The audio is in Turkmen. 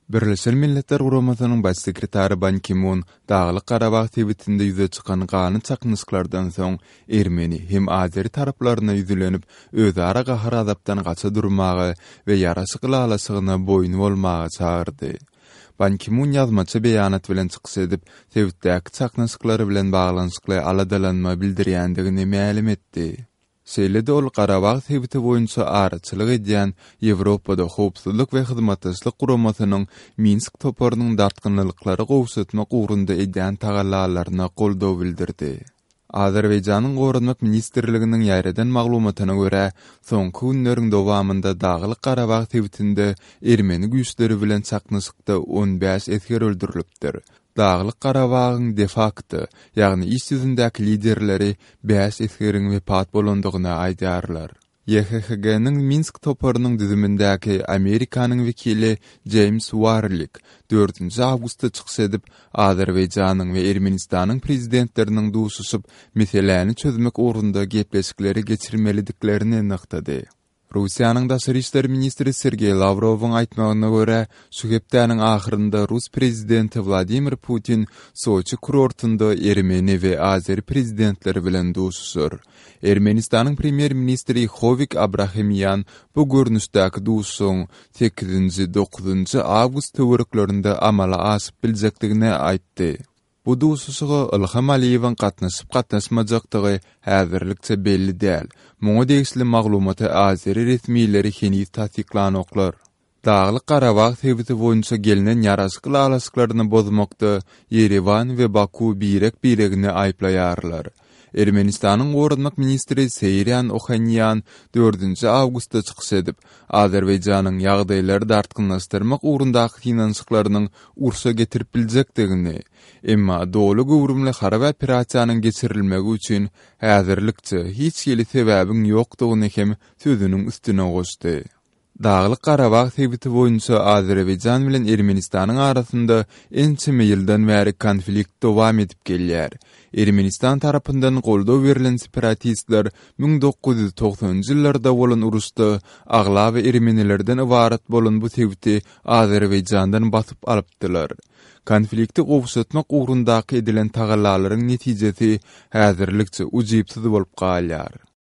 Birleşen Milletler Guramasynyň Baş sekretary Ban Ki-mun Daglyk-Garabag sebitinde ýüze çykan ganly çaknyşyklardan soň ermeni hem azeri taraplaryna ýüzlenip, özara gahar-gazapdan gaça durmaga we ýaraşyk ylalaşygyna boýun bolmaga çagyrdy. Ban Ki-mun ýazmaça beýanat bilen çykyş edip, sebitdäki çaknyşyklar bilen baglanyşykly aladalanma bildirýändigini mälim etdi. Şeýle-de ol Garabag sebiti boýunça araçylyk edýän Ýewropada Howpsuzlyk we Hyzmatdaşlyk Guramasynyň Minsk toparynyň dartgynlylyklary gowşatmak ugrunda edýän tagallalaryna goldaw bildirdi. Azerbaýjanyň Goranmak ministrliginiň ýaýradan maglumatyna görä, soňky günleriň dowamynda Daglyk-Garabag sebitinde ermeni güýçleri bilen çaknyşykda 15 esger öldürilipdir. Daglyk-Garabagyň de-fakto, ýagny iş ýüzündäki liderleri bäş esgeriň wepat bolandygyny aýdýarlar. YHHG-niň Minsk toparynyň düzümindäki Amerikanyň wekili Jeýms Warlik dördünji awgustda çykyş edip, Azerbaýjanyň we Ermenistanyň prezidentleriniň duşuşyp, meseläni çözmek ugrunda gepleşikleri geçirmelidiklerini nygtady. Russiýanyň daşary işler ministri Sergeý Lawrowyň aýtmagyna görä, şu hepdäniň ahyrynda rus prezidenti Wladimir Putin Soçi kurortynda ermeni we azeri prezidentleri bilen duşuşar. Ermenistanyň premýer-ministri Howik Abrahamian bu görnüşdäki duşuşygyň sekizinji, dokuzynjy awgust töwereklerinde amala aşyp biljekdigini aýtdy. Bu duşuşyga Ylham Aliýewiň gatnaşyp-gatnaşmajakdygy häzirlikçe belli däl. Muňa degişli maglumaty azeri resmileri heniz tassyklanoklar. Daglyk-Garabag sebiti boýunça gelnen ýaraşyk ylalaşyklaryny bozmakda Ýerewan we Baku birek-biregini aýyplaýarlar. Ermenistanyň goranmak ministri Seýran Ohanýan dördünji awgustda çykyş edip, Azerbaýjanyň ýagdaýlary dartgynlaşdyrmak ugrundaky synanyşyklarynyň urşa getirip biljekdigini, emma doly göwrümli harby operasiýanyň geçirilmegi üçin häzirlikçe hiç hili sebäbiň ýokdugyny hem sözüniň üstüne goşdy. Daglyk-Garabag sebiti boýunça Azerbaýjan bilen Ermenistanyň arasynda ençeme ýyldan bäri konflikt dowam edip gelýär. Ermenistan tarapyndan goldaw berlen separatistler 1990-njy ýyllarda bolan uruşda aglaba ermenilerden ybarat bolan bu sebiti Azerbaýjandan basyp alypdylar. Konflikti gowşatmak ugrundaky edilen tagallalaryň netijesi häzirlikçe ujypsyz bolup galýar.